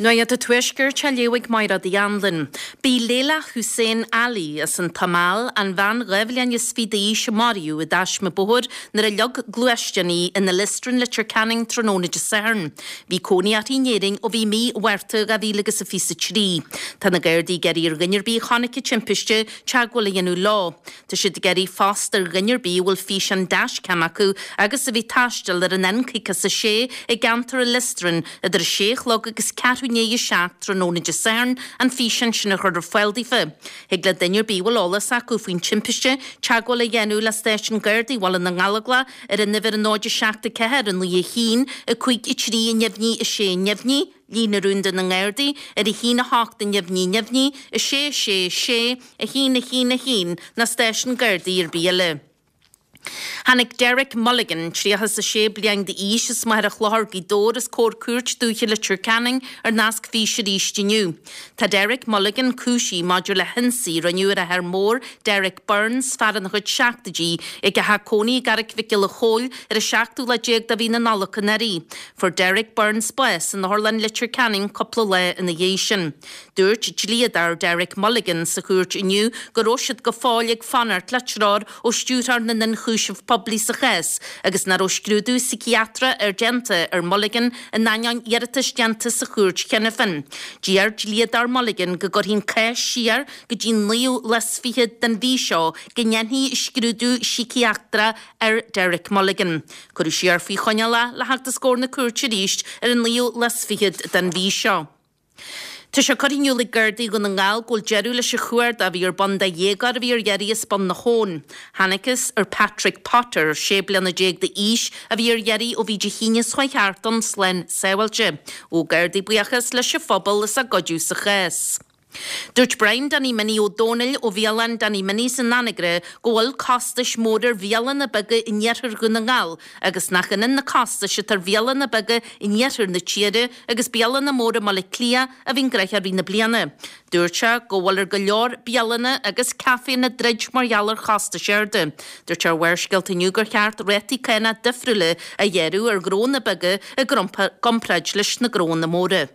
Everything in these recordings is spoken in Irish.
Nuacht an Tuaiscirt á léamh ag Mairéad Uí Anluain. B'í Leila Hussein Ali as an tSomáil an bhean 22 bhliain d'aois a maraíodh i dtaisme bóthair nuair a leag gluaisteán í in Illistrin, Leitir Ceanainn tráthnóna Dé Sathairn. Bhí cónaí uirthi in Éirinn ó bhí mí Mhárta 2023. Tá na Gardaí ag iarraidh ar dhuine ar bith a chonaic an timpiste teagmháil a dhéanamh leo. Tá siad ag iarraidh fosta ar dhuine ar bith a bhfuil físeán dashcam acu agus a bhí ag taisteal ar an N56 i gceantar Illistrin idir a sé a chlog agus ceathrú i ndiaidh a 7 tráthnóna Dé Sathairn an físeán sin a chur ar fáil daofa. Thig le duine ar bith a bhfuil eolas acu faoin timpiste teagmháil a dhéanamh le Stáisiún Gardaí Bhaile na nGallóglach ar an uimhir 0 7 4 9 1 5 3 neamhní 6 neamhní, Líne rúnda na nGardaí ar 1 8 neamhní neamhní 6 6 6 1 1 1 nó stáisiún Gardaí ar bith eile. Tháinig Derek Mulligan, 36 bliain d'aois, as Machaire Chlochair, Gaoth Dobhair, os comhair Cúirt Dúiche Leitir Ceanainn ar nasc físe arís inniu. Tá Derek Mulligan cúisithe maidir le hionsaí a rinneadh ar a athair mór, Derek Burns, fear ina chuid seachtóidí, ag a theach cónaí i gCarraic Mhic Giolla Chóill ar an seachtú lá déag de mhí na Nollag anuraidh. Fuair Derek Burns bás in Otharlann Leitir Ceanainn cúpla lá ina dhiaidh sin. Dúirt dlíodóir Derek Mulligan sa chúirt inniu go raibh siad go fóill ag fanacht le treoir ó Stiúrthóir na nIonchúiseamh Poiblí sa chás agus nach raibh scrúdú síciatrach ar déanta ar Mulligan in ainneoin iarratais déanta sa chúirt cheana féin. D'iarr dlíodóir Mulligan go gcuirfí an cás siar go dtí an naoú lá is fichead den mhí seo go ndéanfaí scrúdú síciatrach ar Derek Mulligan. Cuireadh siar faoi choinneáil é le theacht os comhair na cúirte arís ar an naoú lá is fichead den mhí seo. Tá sé curtha in iúl ag Gardaí Dhún na nGall go bhfuil deireadh leis an chuardach a bhí ar bun do dhéagóir a bhí ar iarraidh as Bun na hAbhann. Thángthas ar Patrick Potter, 16 bliana d'aois, a bhí ar iarraidh ó bhí Dé hAoine seo chuaigh thart ann, slán sábháilte. Ghabh Gardaí buíochas leis an phobal as a gcuidiú sa chás. Dúirt Brian Danny Minnie Ó Dónaill ó bhialann Danny Minnie's in Anagaire go bhfuil costais mhóra ar bhialanna beaga in iarthar Dhún na nGall agus nach ionann na costais atá ar bhialanna beaga in iarthar na tíre agus bialanna móra i mBaile Átha Cliath a bhíonn gnóthach i rith na bliana. Dúirt sé go bhfuil ar go leor bialanna agus caiféanna druid mar gheall ar chostais arda. Dúirt sé ar Bharrscéalta inniu gur cheart rátaí cánach difriúla a ghearradh ar ghnónna beaga i gcomparáid leis na gnónna móra.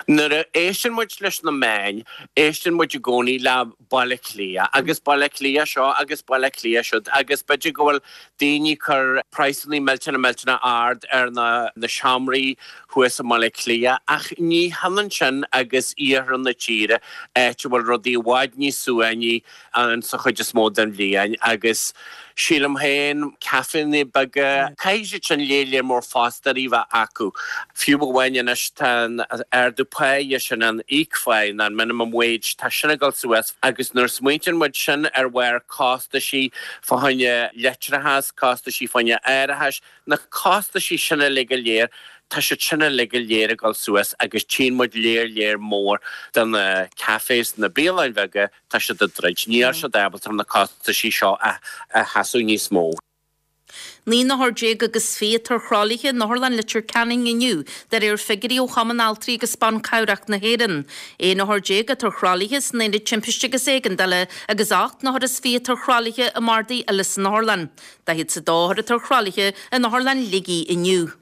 Nuair a éisteann muid leis na meáin, éisteann muid i gcónaí le Baile Átha Cliath agus Baile Átha Cliath seo agus Baile Átha Cliath siúd agus b'fhéidir go bhfuil daoine ag cur praghsanna millteanach millteanach ard ar na na seomraí thuas i mBaile Átha Cliath ach ní hionann sin agus iarthar na tíre, áit a bhfuil rudaí i bhfad níos suaimhní ann sa chuid is mó den bhliain agus sílim féin, caiféanna beaga, caithfidh siad sin léar léar mór fostóirí a bheith acu. Fiú amháin anois tá an ardú páighe sin, an íocphá nó an minimum wage, tá sin ag dul suas agus nuair a smaointíonn muid sin ar bharr costaisí fá choinne leictreachas, costaisí fá choinne árachais, Na costaisí sin uilig go léir, tá siad sin uilig go léir ag dul suas agus tchíonn muid léar léar mór de na cafés, na bialanna beaga, tá siad ag druid. Níl siad ábalta na costaisí seo a sheasamh níos mó. 19 n-othar agus 20 atá ar thralaithe in Otharlann Leitir Ceanainn inniu, de réir figiúirí ó Chumann Altraí agus Ban Cabhrach na hÉireann. 11 othar atá ar thralaithe san Aonad Timpiste agus Éigeandála agus 8 n-othar is 20 atá ar thralaithe i mbardaí eile san otharlann. 42 othar atá ar thralaithe in Otharlann Shligigh inniu.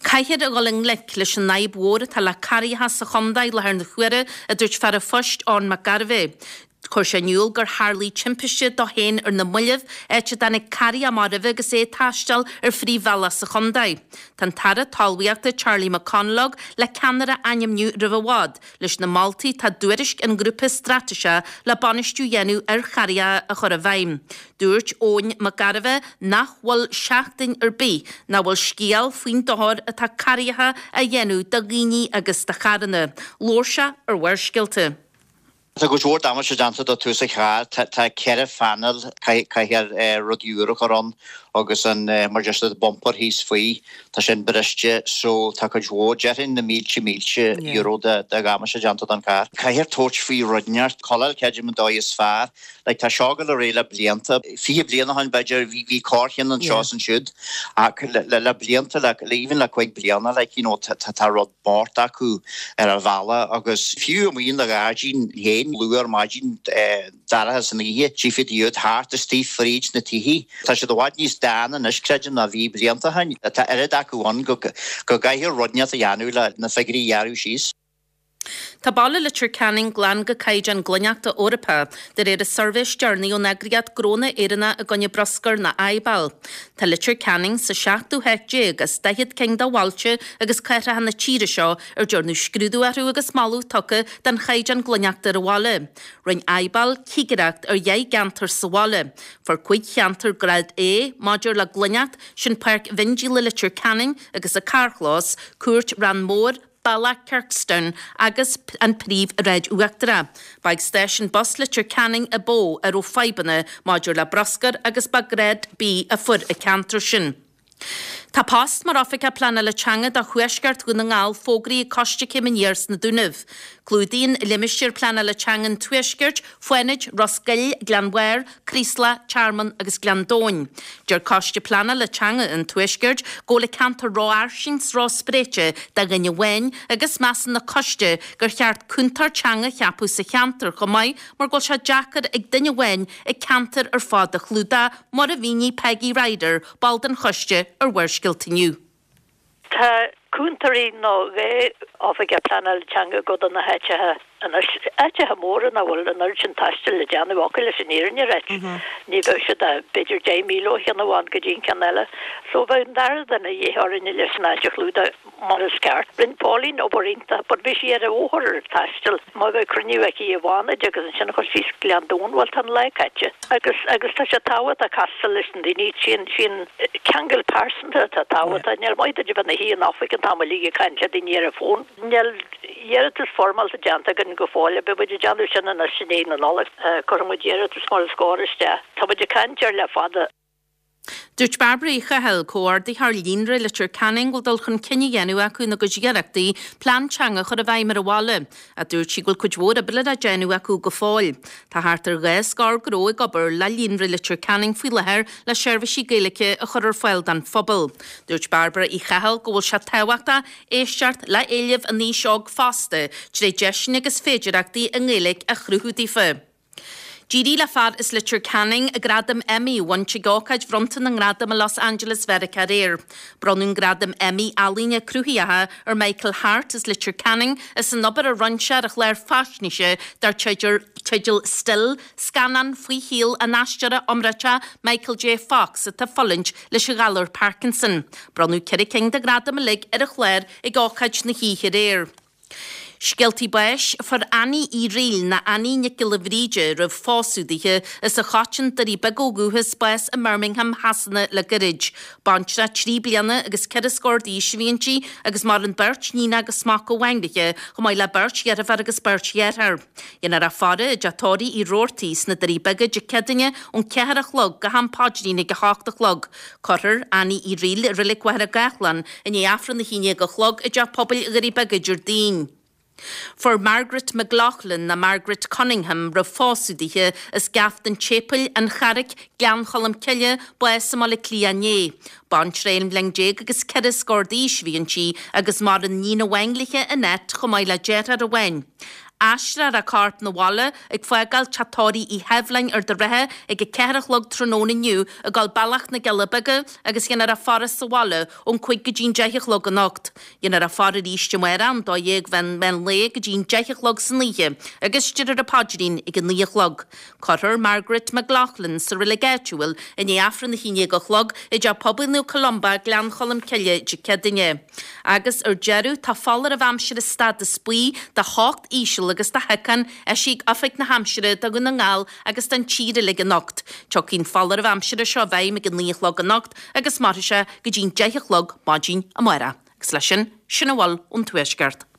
Caithfear a dhul i ngleic leis an fhadhb mhór atá le carraigheacha sa chontae i láthair na huaire, a dúirt fear an phoist Eoin Mac Gairbheith. Chuir sé in iúl gur tharlaigh timpiste dó féin ar na mallaibh, áit a dtáinig carraigh amach roimhe agus é ag taisteal ar phríomhbhealach sa chontae. Tá an tAire Talmhaíochta Charlie McConalogue le ceannaire a ainmniú roimh i bhfad, Leis na moltaí atá i dtuairisc an Ghrúpa Straitéiseach le bainistiú a dhéanamh ar charraigeacha a chur i bhfeidhm. Dúirt Eoin Mac Gairbheith nach bhfuil seachtain ar bith nach bhfuil scéal faoin dochar atá carraigeacha á dhéanamh do dhaoine agus do charranna. Labhair sé ar Bharrscéalta. Tá cuid mhór damáiste déanta do tús an chairr. Tá 4 phainéal, caithfear rudaí úr a chur ann agus an, mar deir siad, bumper thíos faoi, tá sin briste so tá cuid mhór, déarfainn na mílte mílte euro de dhamáiste déanta don charr. Caithfear tabhairt faoi rud inteacht, caill creidim an dóigh is fearr. Like tá seo ag dul ar aghaidh le blianta, 20 bliain ó shin b'fhéidir bhí bhí corrcheann anseo is ansiúd ach le le blianta le even le 5 bliana like you know tá tá rud bocht acu ar an bhealach agus fiú amuigh ina ghairdín féin luath ar maidin dorcha san oíche, tchífidh tú iad thart istigh fríd na tithe. Tá siad i bhfad níos. dán anois, creidim, ná bhí blianta ó shin. Tá oiread acu ann go gcaithfear rud inteacht a dhéanamh le na figiúirí a ghearradh síos. Tá baile Leitir Ceanainn glan go caighdeán glaineachta Eorpach, de réir an suirbhé is deireanaí ón eagraíocht Gnónna Éireannacha i gcoinne Bruscair nó IBAL. Tá Leitir Ceanainn sa seachtú háit déag as 40 cinn de bhailte agus cathracha na tíre seo ar dearnadh scrúdú orthu agus moladh tugtha don chaighdeán glaineachta ar an bhaile. Rinne IBAL cigireacht ar dheich gceantar sa bhaile. Fuair 5 cheantar grád A maidir le glaineacht, sin Páirc Mhiondíola Leitir Ceanainn agus a carrchlós, Cúirt Rann Mór, Bealach Kirkstown agus an Phríomhshráid Uachtarach. Ba ag stáisiún bus Leitir Ceanainn a ba mhó a raibh fadhbanna maidir le bruscar agus ba Grád B a fuair an ceantar sin. Tá post mar Oifigeach Pleanála Teanga do Thuaisceart Dhún na nGall fógraithe ag Coiste Céim Aniar sna Dúnaibh. Clúdaíonn limistéar pleanála teanga an Tuaiscirt, Fánaid, Ros Goill, Gleann Bhairr, Craoslach, Tearmann agus Gleann Domhain. Deir Coiste Pleanála Teanga an Tuaiscirt go bhfuil an ceantar rófhairsing 's róspréite do dhuine amháin agus measann an coiste gur cheart cúntóir teanga a cheapadh sa cheantar chomh maith mar go bhfuil sé deacair ag duine amháin an ceantar ar fad a chlúdach mar a mhínigh Peggy Ryder, ball den choiste, ar Bharrscéalta inniu. Tá cúntóirí nó 2 oifigeach pleanála teanga ag dul do na háiteacha anois, áiteacha móra nach bhfuil an oiread sin taistil le déanamh acu leis an fhírinne a ráit. Ní bheadh siad ach b'fhéidir 10 míle ó cheann amháin go dtí an ceann eile. So bheadh an dara duine de dhíth orainne leis an áit a chlúdach mar is ceart. Rinne Pauline obair iontach but bhí sí ar an bhóthar ar an taisteal. Má bheadh cruinniú aici i bhFánaid agus ansin chuir sí Gleann Domhain, bhuel tá an lá caite. Agus agus tá sé tábhachtach castáil leis na daoine, sin sin ceangal pearsanta atá tábhachtach. Níl maith duit a bheith ina shuí in oifig an t-am uilig ag caint le daoine ar an bhfón. Níl iarratas foirmeálta déanta againn go fóill. Beidh muid ag déanamh sin anois i ndiaidh na Nollag. Cuirfidh muid iarratas mar is cóir isteach. Tá muid ag caint air le fada. Dúirt Bairbre Uí Chathail, Comhordaitheoir Líonra Leitir Ceanainn, go bhfuil dul chun cinn á dhéanamh acu ina gcuid iarrachtaí plean teanga a chur i bhfeidhm ar an bhaile. Ach dúirt sí go bhfuil cuid mhór oibre le déanamh acu go fóill. Tá thart ar 2 scór gnó ag obair le Líonra Leitir Ceanainn faoi láthair le seirbhísí Gaeilge a chur ar fáil don phobal. Dúirt Bairbre Uí Chathail go bhfuil sé tábhachtach éisteacht le héilimh an aois óg fosta tré deiseanna agus féidireachtaí i nGaeilge a chruthú daofa. D'éirigh le fear as Leitir Ceanainn gradam Emmy a bhaint ag ócáid bhronnta na ngradam i Los Angeles Mheiriceá aréir. Bronnadh an gradam Emmy Ealaíne Cruthaitheacha ar Michael Harte as Leitir Ceanainn as an obair a rinne sé ar a chlár faisnéise dar teideal Still, scannán faoi shaol an aisteora iomráiteach Michael J. Fox atá ag fulaingt leis an ghalar Parkinson. Bronnadh 4 cinn de ghradaim uilig ar an chlár ag ócáid na hoíche aréir. Scéaltaí báis, Fuair Annie Uí Fhrighil, nó Annie Nic Giolla Bhríde roimh phósadh dithe, as an Choiteann, Doirí Beaga ó dhúchas, bás i mBirmingham Shasana le gairid. Baintreach 3 bliana agus 4 scór d'aois a bhí inti agus maireann beirt níon agus mac amháin léi, chomh maith le beirt dheirfiúr agus beirt dheartháir. Dhéanfar í a faire i dteach tórraimh Uí Robhartaigh sna Doirí Beaga Dé Céadaoine ón 4 a chlog go ham paidrín ag 8 a chlog. Cuirfear Annie Uí Fhrighil i Reilig Mhachaire Gathlán i ndiaidh Aifreann 11 a chlog i dTeach Pobail Dhoirí Beaga Déardaoin. Fuair Margaret McLaughlin, nó Margaret Cunningham roimh phósadh dithe, as Gaft an tSéipéil, An Charraic, Gleann Cholm Cille, bás i mBaile Átha Cliath inné. Baintreach 11 bhliain agus 4 scór d'aois a bhí inti agus maireann níon amháin léi, Annette, chomh maith le deartháir amháin. Aistreofar a corp 'na bhaile ag fágáil teach tórraimh Uí Sheibhleáin, Ard an Rátha ag 4 a chlog tráthnóna inniu ag dul bealach na gCealla Beaga agus dhéanfar a faire sa bhaile ón 5 go dtí an 10 a chlog anocht. Dhéanfar a faire arís amárach ón 12 mheán lae go dtí an 10 a chlog san oíche agus déarfar an paidrín ag a 9 a chlog. Cuirfear Margaret McLaughlin sa reilig áitiúil i ndiaidh Aifreann 11 a chlog i dTeach Pobail Naomh Columba, Gleann Cholm Cille, Dé Céadaoine. Agus ar deireadh, tá foláireamh aimsire stádas buí do theocht íseal agus do shiocán eisithe ag Oifig na hAimsire do Dhún na nGall agus don tír uilig anocht. Tiocfaidh an foláireamh aimsire seo i bhfeidhm ag a 9 a chlog anocht agus mairfidh sé go dtí'n 10 a chlog maidin amárach. Agus leis sin, sin a bhfuil ón Tuaisceart.